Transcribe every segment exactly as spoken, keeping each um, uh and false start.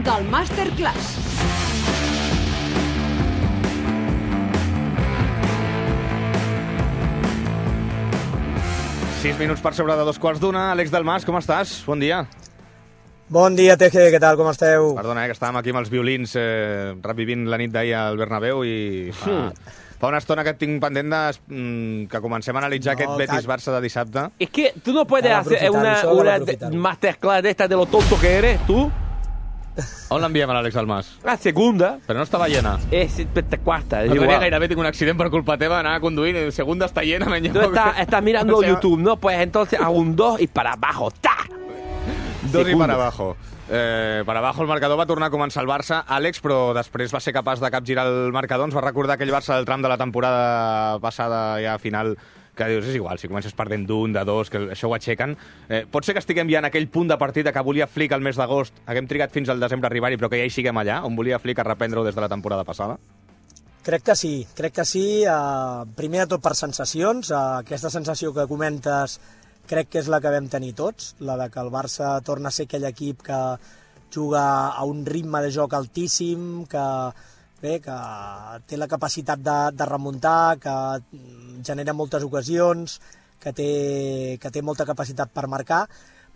del Masterclass. Sis minuts per sobre de dos quarts d'una. Àlex Dalmas, com estàs? Bon dia. Bon dia, Teje, què tal, com esteu? Perdona, eh, que estàvem aquí amb els violins eh, revivint la nit d'ahir al Bernabéu i fa, fa una estona que et tinc pendent de, mm, que comencem a analitzar No, aquest Betis-Barça de dissabte. Es que tú no puedes Para hacer aprovechar una, eso, para una aprovechar. de- masterclass de esta de lo tonto que eres, tú. On l'enviem a l'Àlex Dalmas? La segunda Però no estava llena. es esta cuarta. Es L'altre dia igual. gairebé tinc un accident per culpa teva, anava conduint i segunda està llena. menys Tú estás, estás mirando O sea, YouTube, ¿no? Pues entonces a un dos y para abajo. ¡Ta! Dos i Segundo. per abajo. Eh, per abajo el marcador va tornar a començar el Barça, Àlex, però després va ser capaç de capgirar el marcador. Ens va recordar aquell Barça del tram de la temporada passada, ja final, que dius, és igual, si comences perdent d'un, de dos, que això ho aixequen. Eh, pot ser que estiguem ja en aquell punt de partida que volia Flick el mes d'agost, haguem trigat fins al desembre a arribar-hi, però que ja hi siguem allà, on volia Flick a reprendre-ho des de la temporada passada? Crec que sí, crec que sí. Uh, primer de tot per sensacions. Uh, aquesta sensació que comentes crec que és la que vam tenir tots, la de que el Barça torna a ser aquell equip que juga a un ritme de joc altíssim, que, bé, que té la capacitat de, de remuntar, que genera moltes ocasions, que té, que té molta capacitat per marcar,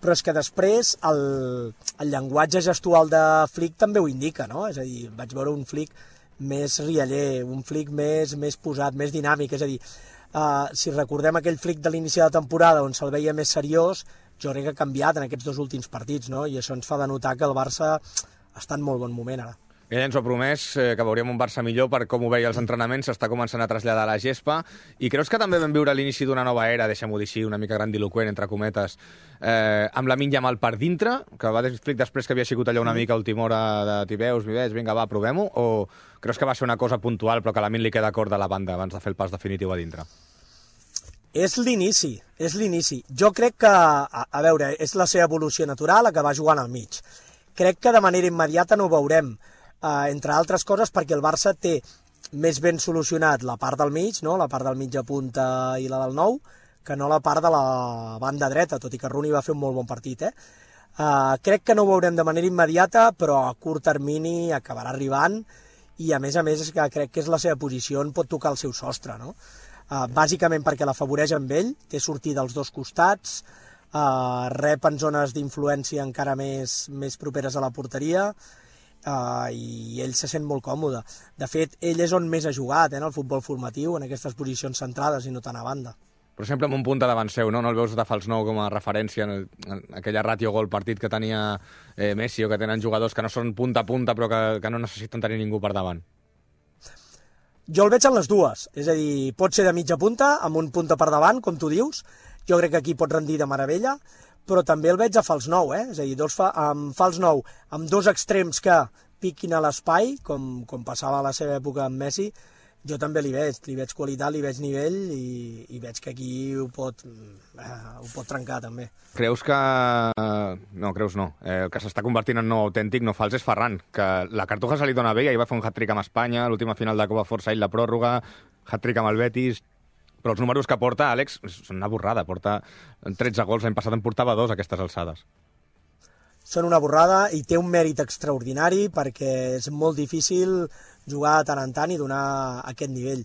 però és que després el, el llenguatge gestual de Flick també ho indica, no? És a dir, vaig veure un Flick més rialler, un Flick més, més posat, més dinàmic, és a dir, uh, si recordem aquell Flick de l'inici de la temporada on se'l veia més seriós, jo crec que ha canviat en aquests dos últims partits, no? I això ens fa denotar que el Barça està en molt bon moment ara. Ell ens ho ha promès, eh, que veuríem un Barça millor per com ho veia els entrenaments, s'està començant a traslladar a la gespa. I creus que també vam viure l'inici d'una nova era, deixem-ho dir així, una mica grandiloquent, entre cometes, eh, amb la Yamal per dintre, que va explicar després que havia sigut allà una mica a última hora de t'hi veus, m'hi veig, vinga, va, provem-ho, o creus que va ser una cosa puntual però que a la Min li queda cort de la banda abans de fer el pas definitiu a dintre? És l'inici, és l'inici. Jo crec que, a, a veure, és la seva evolució natural, a que va jugant al mig. Crec que de manera immediata no ho veurem, eh, entre altres coses perquè el Barça té més ben solucionat la part del mig, no? La part del mitja punta i la del nou, que no la part de la banda dreta, tot i que Rooney va fer un molt bon partit, eh? Uh, crec que no ho veurem de manera immediata, però a curt termini acabarà arribant, i a més a més és que crec que és la seva posició on pot tocar el seu sostre, no? Uh, bàsicament perquè l'afavoreix amb ell, té sortida als dos costats, uh, rep en zones d'influència encara més, més properes a la porteria, uh, i ell se sent molt còmode. De fet, ell és on més ha jugat, eh, en el futbol formatiu, en aquestes posicions centrades i no tant a banda. Per exemple, amb un punt davant seu, no? No el veus de fals nou com a referència en, el, en aquella ràtio gol partit que tenia eh, Messi, o que tenen jugadors que no són punta a punta però que, que no necessiten tenir ningú per davant? Jo el veig en les dues, és a dir, pot ser de mitja punta, amb un punta per davant, com tu dius, jo crec que aquí pot rendir de meravella, però també el veig a fals nou, eh? És a dir, dos fa, amb fals nou, amb dos extrems que piquin a l'espai, com, com passava a la seva època amb Messi, jo també li veig, li veig qualitat, li veig nivell i, i veig que aquí ho pot, eh, ho pot trencar també. Creus que... No, creus no. Eh, el que s'està convertint en nou autèntic, no fals, és Ferran, que la Cartuja se li dona bé, ahir va fer un hat-trick amb Espanya, l'última final de Copa Força, ell la pròrroga, hat-trick amb el Betis, però els números que porta, Àlex, són una borrada, porta tretze gols, l'any passat en portava dos a aquestes alçades. Són una borrada i té un mèrit extraordinari perquè és molt difícil jugar de tant en tant i donar aquest nivell.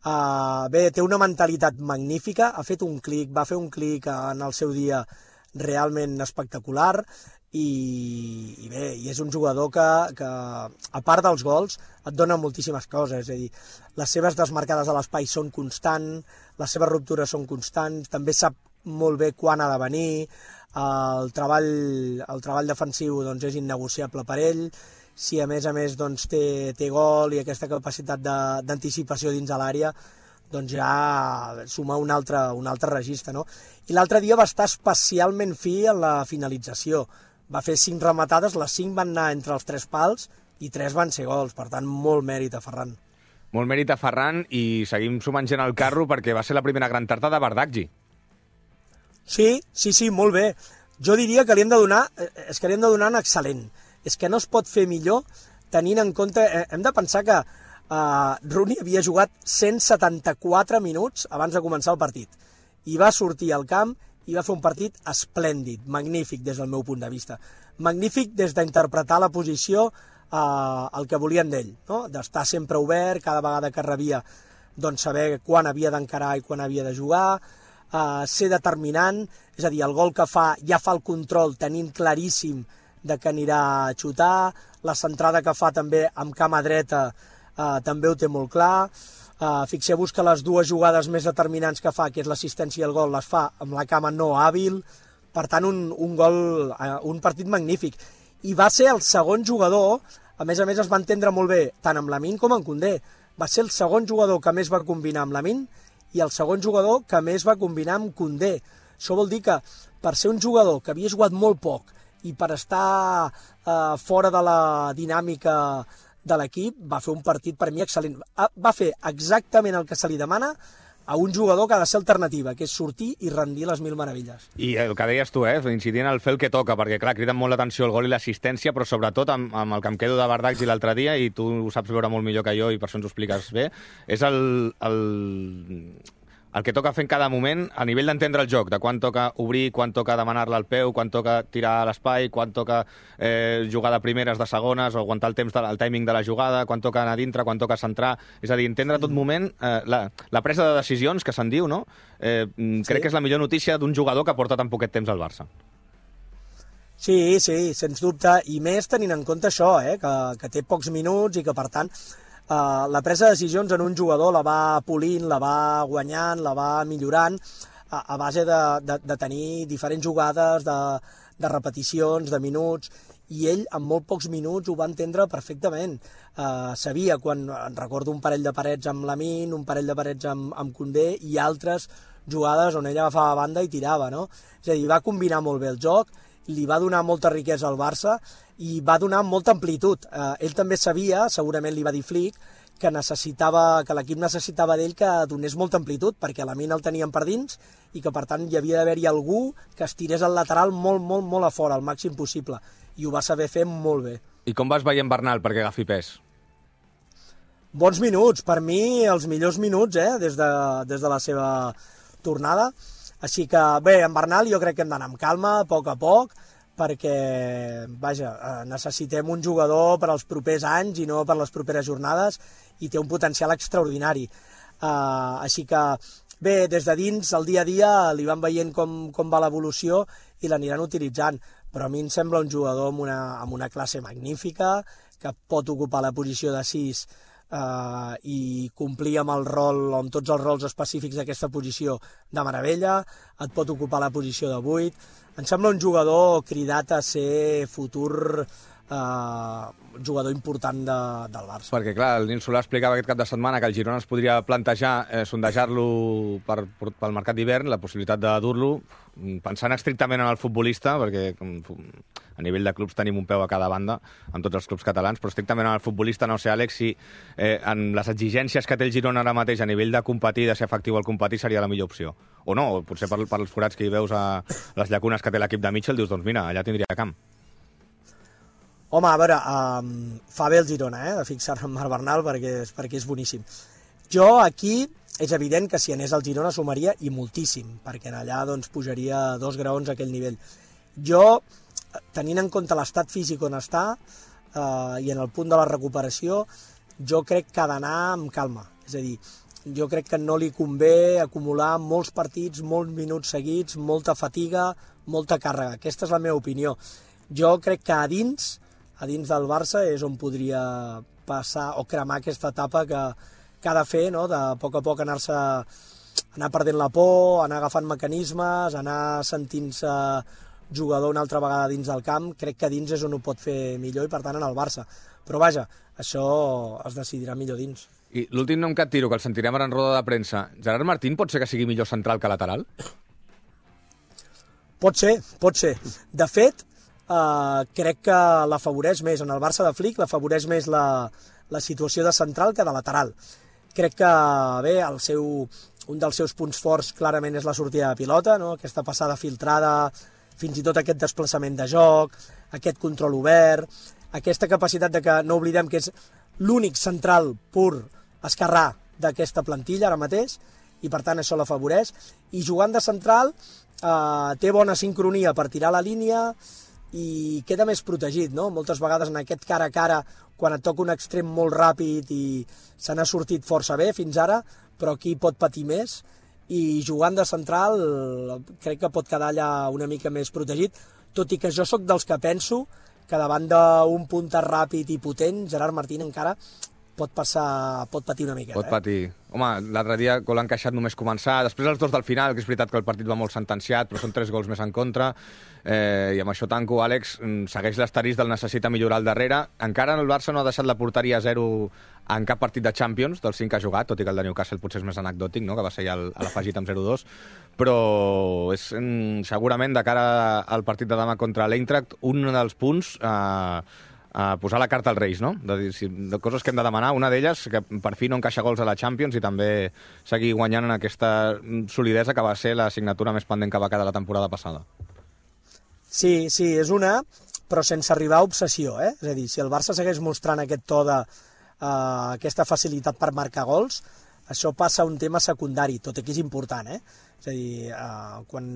Uh, bé, té una mentalitat magnífica, ha fet un clic, va fer un clic en el seu dia realment espectacular i, i bé, i és un jugador que, que, a part dels gols, et dona moltíssimes coses, és a dir, les seves desmarcades a l'espai són constants, les seves ruptures són constants, també sap molt bé quan ha de venir, el treball, el treball defensiu doncs, és innegociable per ell, si a més a més doncs, té, té gol i aquesta capacitat d'anticipació dins de l'àrea, doncs ja suma un altre, un altre registre, no? I l'altre dia va estar especialment fi en la finalització. Va fer cinc rematades, les cinc van anar entre els tres pals i tres van ser gols, per tant, molt mèrit a Ferran. Molt mèrit a Ferran i seguim sumant gent al carro perquè va ser la primera gran tarda de Bardakji. Sí, sí, sí, molt bé. Jo diria que li hem de donar, és que li hem de donar un excel·lent. És que no es pot fer millor tenint en compte... Eh, hem de pensar que eh, Rooney havia jugat cent setanta-quatre minuts abans de començar el partit. I va sortir al camp i va fer un partit esplèndid, magnífic des del meu punt de vista. Magnífic des d'interpretar la posició eh, el que volien d'ell, no? D'estar sempre obert, cada vegada que rebia doncs saber quan havia d'encarar i quan havia de jugar, eh, ser determinant, és a dir, el gol que fa ja fa el control tenint claríssim de que anirà a xutar, la centrada que fa també amb cama dreta eh, també ho té molt clar. Uh, fixeu-vos que les dues jugades més determinants que fa, que és l'assistència i el gol, les fa amb la cama no hàbil, per tant un, un gol, uh, un partit magnífic. I va ser el segon jugador, a més a més es va entendre molt bé, tant amb Lamine com amb Koundé, va ser el segon jugador que més va combinar amb Lamine i el segon jugador que més va combinar amb Koundé. Això vol dir que per ser un jugador que havia jugat molt poc i per estar uh, fora de la dinàmica de l'equip, va fer un partit per mi excel·lent. Va fer exactament el que se li demana a un jugador que ha de ser alternativa, que és sortir i rendir les mil meravelles. I el que deies tu, eh, incidint al fer el que toca, perquè clar, criden molt l'atenció el gol i l'assistència, però sobretot amb, amb el que em quedo de Bardakji l'altre dia, i tu ho saps veure molt millor que jo i per això ens ho expliques bé, és el, el, el que toca fer en cada moment a nivell d'entendre el joc, de quan toca obrir, quan toca demanar-la al peu, quan toca tirar a l'espai, quan toca eh, jugar de primeres, de segones, o aguantar el temps de, el timing de la jugada, quan toca anar a dintre, quan toca centrar. És a dir, entendre a tot moment eh, la, la presa de decisions, que se'n diu, no? Eh, crec sí. que és la millor notícia d'un jugador que porta tan poquet temps al Barça. Sí, sí, sens dubte, i més tenint en compte això, eh, que, que té pocs minuts i que, per tant, Uh, la presa de decisions en un jugador la va polint, la va guanyant, la va millorant a, a base de, de, de tenir diferents jugades, de, de repeticions, de minuts, i ell en molt pocs minuts ho va entendre perfectament. Uh, sabia, quan recordo un parell de parets amb Lamine, un parell de parets amb, amb Koundé i altres jugades on ell agafava banda i tirava, no? És a dir, va combinar molt bé el joc, li va donar molta riquesa al Barça i va donar molta amplitud. Eh, ell també sabia, segurament li va dir Flick, que necessitava, que l'equip necessitava d'ell que donés molta amplitud, perquè la mina el tenien per dins i que, per tant, hi havia d'haver-hi algú que estirés el lateral molt, molt, molt a fora, al màxim possible. I ho va saber fer molt bé. I com vas veient Bernal perquè agafi pes? Bons minuts, per mi els millors minuts, eh, des de, des de la seva tornada. Així que, bé, en Bernal jo crec que hem d'anar amb calma, a poc a poc, perquè, vaja, necessitem un jugador per als propers anys i no per les properes jornades, i té un potencial extraordinari. Uh, així que, bé, des de dins, el dia a dia, li van veient com, com va l'evolució i l'aniran utilitzant, però a mi em sembla un jugador amb una, amb una classe magnífica, que pot ocupar la posició de sis Uh, i complir amb el rol, amb tots els rols específics d'aquesta posició de meravella, et pot ocupar la posició de vuit. Em sembla un jugador cridat a ser futur uh, jugador important de, del Barça. Perquè, clar, el Nil Solà explicava aquest cap de setmana que el Girona es podria plantejar eh, sondejar-lo per, per, pel mercat d'hivern, la possibilitat de dur-lo, pensant estrictament en el futbolista, perquè a nivell de clubs tenim un peu a cada banda, en tots els clubs catalans, però estrictament en el futbolista, no sé, Àlex, si eh, en les exigències que té el Girona ara mateix a nivell de competir, de ser efectiu al competir, seria la millor opció. O no, o potser per, per els forats que hi veus a les llacunes que té l'equip de Mitchell, dius, doncs mira, allà tindria camp. Home, a veure, um, fa bé el Girona, eh, de fixar-se en Marc Bernal, perquè, perquè és boníssim. Jo aquí és evident que si anés al Girona sumaria i moltíssim, perquè allà doncs, pujaria dos graons a aquell nivell. Jo, tenint en compte l'estat físic on està eh, i en el punt de la recuperació, jo crec que ha d'anar amb calma. És a dir, jo crec que no li convé acumular molts partits, molts minuts seguits, molta fatiga, molta càrrega. Aquesta és la meva opinió. Jo crec que a dins, a dins del Barça és on podria passar o cremar aquesta etapa que, que ha de fer, no? De a poc a poc anar-se anar perdent la por, anar agafant mecanismes, anar sentint-se jugador una altra vegada dins del camp. Crec que dins és on ho pot fer millor i, per tant, en el Barça. Però, vaja, això es decidirà millor dins. I l'últim nom que et tiro, que el sentirem ara en roda de premsa, Gerard Martín pot ser que sigui millor central que lateral? Pot ser, pot ser. De fet, Uh, crec que l'afavoreix més, en el Barça de Flick l'afavoreix més la, la situació de central que de lateral. Crec que, bé, el seu, un dels seus punts forts clarament és la sortida de pilota, no? Aquesta passada filtrada, fins i tot aquest desplaçament de joc, aquest control obert, aquesta capacitat de que no oblidem que és l'únic central pur esquerrà d'aquesta plantilla ara mateix, i per tant això l'afavoreix, i jugant de central uh, té bona sincronia per tirar la línia i queda més protegit, no? Moltes vegades en aquest cara a cara, quan et toca un extrem molt ràpid i se n'ha sortit força bé fins ara, però aquí pot patir més, i jugant de central crec que pot quedar allà una mica més protegit, tot i que jo sóc dels que penso que davant d'un punter ràpid i potent, Gerard Martín encara pot passar, pot patir una miqueta. Pot patir. Eh? Home, l'altre dia gol encaixat només començar, després els dos del final, que és veritat que el partit va molt sentenciat, però són tres gols més en contra, eh, i amb això tanco, Àlex, segueix l'asterisc del necessita millorar al darrere. Encara el Barça no ha deixat la porteria a zero en cap partit de Champions, dels cinc que ha jugat, tot i que el de Newcastle potser és més anecdòtic, no? Que va ser ja a l'afegit amb zero dos, però és segurament de cara al partit de demà contra l'Eintracht un dels punts eh, a posar la carta als Reis, no? De, dir, si, de coses que hem de demanar, una d'elles que per fi no encaixa gols a la Champions i també seguir guanyant en aquesta solidesa que va ser la signatura més pendent que va quedar la temporada passada. Sí, sí, és una, però sense arribar a obsessió, eh? És a dir, si el Barça segueix mostrant aquest to de uh, aquesta facilitat per marcar gols, això passa a un tema secundari, tot i que és important, eh? És a dir, uh, quan...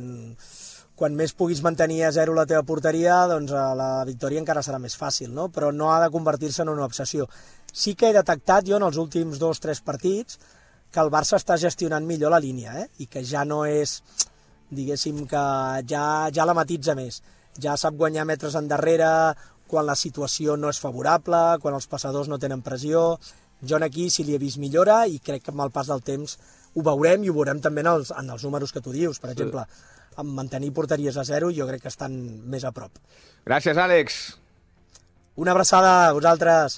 quan més puguis mantenir a zero la teva porteria, doncs la victòria encara serà més fàcil, no? Però no ha de convertir-se en una obsessió. Sí que he detectat jo en els últims dos o tres partits que el Barça està gestionant millor la línia, eh? I que ja no és, diguéssim, que ja, ja la matitza més. Ja sap guanyar metres endarrere quan la situació no és favorable, quan els passadors no tenen pressió. Jo aquí sí li he vist millora i crec que amb el pas del temps ho veurem i ho veurem també en els, en els números que tu dius. Per exemple, amb mantenir porteries a zero jo crec que estan més a prop. Gràcies, Àlex. Una abraçada a vosaltres.